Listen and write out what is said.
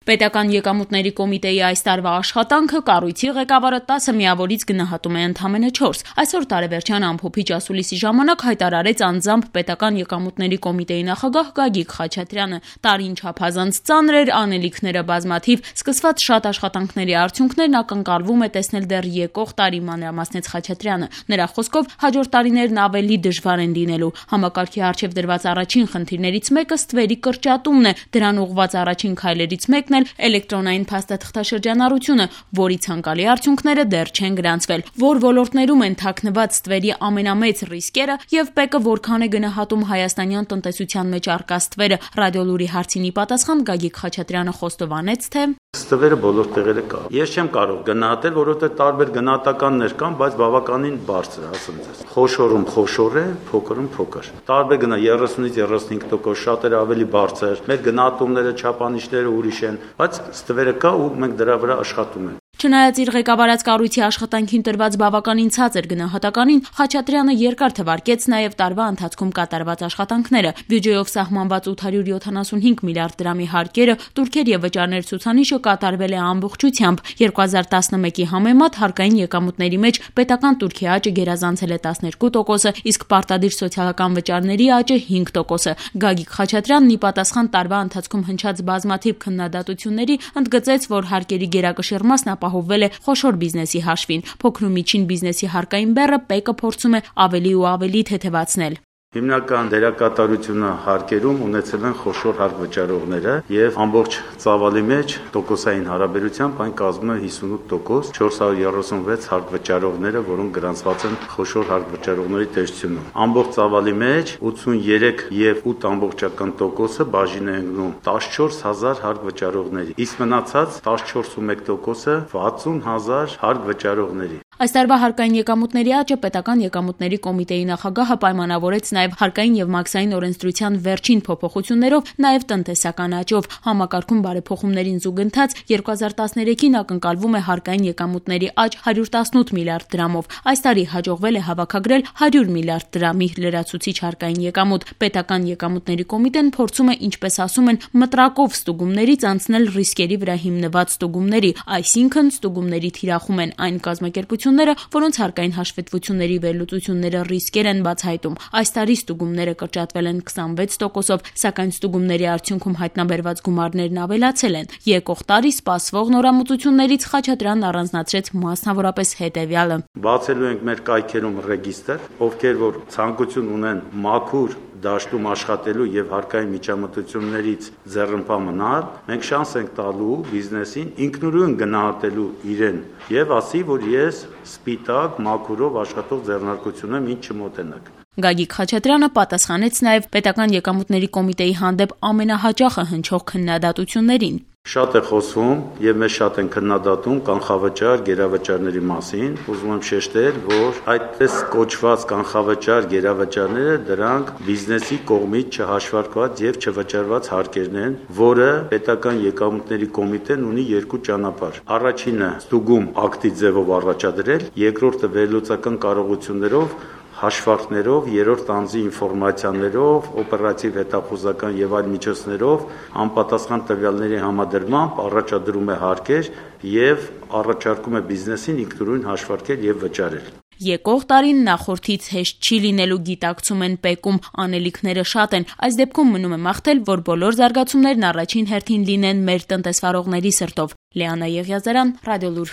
Պետական եկամուտների կոմիտեի այս տարվա աշխատանքը կառույցի ղեկավարը 10 միավորից գնահատում է ընդամենը 4։ Այսօր տարեվերջյան ամփոփիչ ասուլիսի ժամանակ հայտարարեց անձամբ Պետական եկամուտների կոմիտեի նախագահ Գագիկ Խաչատրյանը։ Տարին չափազանց ծանր էր, անելիքները բազմաթիվ, սկսված շատ աշխատանքների արդյունքներն ակնկալվում է տեսնել դեռ եկող տարի, մանրամասնեց Խաչատրյանը։ Նրա խոսքով հաջորդ տարիներն ավելի դժվար են լինելու։ Համակարգի առջև դրված առաջին խնդիրներից մեկը ստվերի կրճատումն է, դրան ուղղված առաջին քայլերից մեկն էլ էլեկտրոնային փաստաթղթաշրջանառությունը, որի ցանկալի արդյունքները դեռ չեն գրանցվել։ Որ ոլորտներում են թաքնված ստվերի ամենամեծ ռիսկերը եւ ՊԵԿ-ը որքան է գնահատում հայաստանյան տնտեսության մեջ առկա ստվերը, Ռադիոլուրի հարցինի պատասխան Գագիկ Խաչատրյանը խոստովանեց, թե ստվերը բոլոր տեղերը կա։ Ես չեմ կարող գնահատել, որովհետեւ տարբեր գնահատականներ կան, բայց բավականին բարձր է, ասեմ ձեզ։ Խոշորում խոշոր է, փոքրում փոքր։ Տարբեր գնա 30-ից 35%, շատերը ավելի բարձր։ Մեր գնահատումները, չափանիշները ուրիշ են, բայց ստվերը կա ու մենք դրա վրա աշխատում ենք։ Չնայած իր ղեկավարած կառույցի աշխատանքին տրված բավականին ցածր գնահատականին, Խաչատրյանը երկար թվարկեց նաև տարվա ընթացքում կատարված աշխատանքները։ Բյուջեով սահմանված 875 միլիարդ դրամի հարկերը, տուրքեր եւ վճարներ ցուցանիշը կատարվել է ամբողջությամբ։ 2011-ի համեմատ հարկային եկամուտների մեջ պետական տուրքի աճը գերազանցել է 12%, իսկ պարտադիր սոցիալական վճարների աճը 5%։ Գագիկ Խաչատրյանն ի պատասխան տարվա ընթացքում հնչած բազմաթիվ քննադատությունների ընդգծեց, որ հարկերի գերակշիռ մասն ապահովվել է խոշոր բիզնեսի հաշվին։ Փոքր ու միջին բիզնեսի հարկային բեռը ՊԵԿ-ը փորձում է ավելի ու ավելի թեթևացնել։ Հիմնական դերակատարությունը հարկերում ունեցել են խոշոր հարկ վճարողները եւ ամբողջ ծավալի մեջ տոկոսային հարաբերությամբ այն կազմում է 58%, 436 հարկ վճարողները, որոնք գրանցված են խոշոր հարկ վճարողների տեսչությունում։ Ամբողջ ծավալի մեջ 83 եւ 8% բաժին է ընկնում 14000 հարկ վճարողների, իսկ մնացած 14.1%-ը 60000 հարկ վճարողների։ Այս տարվա հարկային եկամուտների աճը Պետական եկամուտների կոմիտեի նախագահը պայմանավորեց նաև հարկային եւ մաքսային օրենսդրության վերջին փոփոխություններով, նաև տնտեսական աճով։ Համակարգում բարեփոխումներին զուգընթաց 2013-ին ակնկալվում է հարկային եկամուտների աճ 118 միլիարդ դրամով։ Այս տարի հաջողվել է հավաքագրել 100 միլիարդ դրամի լրացուցիչ հարկային եկամուտ։ Պետական եկամուտների կոմիտեն փորձում է, ինչպես ասում են, մտրակով ստուգումներից անցնել ռիսկերի վրա հիմնված ստուգումների, այսինքն ստուգումների թիրախում են այն կազմակերպությունները, որոնց հարկային հաշվետվությունների վերլուծությունները ռիսկեր են բացահայտում։ Այս տարի ստուգումները կրճատվել են 26%-ով, սակայն ստուգումների արդյունքում հայտնաբերված գումարներն ավելացել են։ Եկող տարի սպասվող նորամուծություններից Խաչատրյանն առանձնացրեց մասնավորապես հետևյալը. Բացելու ենք մեր կայքերում ռեգիստր, ովքեր որ ցանկություն ունեն մաքուր դաշտում աշխատելու եւ հարկային միջամտություններից ձեռնպահ մնալ, մենք շանս ենք տալու բիզնեսին ինքնուրույն գնահատելու իրեն եւ ասի, որ ես սպիտակ մաքուրով աշխատող ձեռնարկություն եմ, ինչ չմոտենակ։ Գագիկ Խաչատրյանը պատասխանեց նաև Պետական եկամուտների կոմիտեի հանդեպ ամենահաճախը հնչող քննադատություններին։ Շատ է խոսվում եւ մեզ շատ են քննադատում կանխավճար, գերավճարների մասին։ Ուզում եմ շեշտել, որ այդպես կոչված կանխավճար, գերավճարները դրանք բիզնեսի կողմից չհաշվարկված եւ չվճարված հարկերն են, որը Պետական եկամուտների կոմիտեն ունի երկու ճանապարհ։ Առաջինը ստուգում ակտի ձևով առաջադրել, երկրորդը վերլուծական կարողություններով հաշվարկներով, երրորդ անձի ինֆորմացիաներով, օպերատիվ հետախուզական եւ այլ միջոցներով անպատասխան տվյալների համադրմամբ առաջադրում է հարկեր եւ առաջարկում է բիզնեսին ինքնուրույն հաշվարկել եւ վճարել։ Եկող տարին նախորդից հեշտ չի լինելու, գիտակցում են ՊԵԿ-ում, անելիքները շատ են։ Այս դեպքում մնում է մաղթել, որ բոլոր զարգացումներն առաջին հերթին լինեն մեր տնտեսվարողների սրտով։ Լիանա Եղիազարյան, Ռադիոլուր։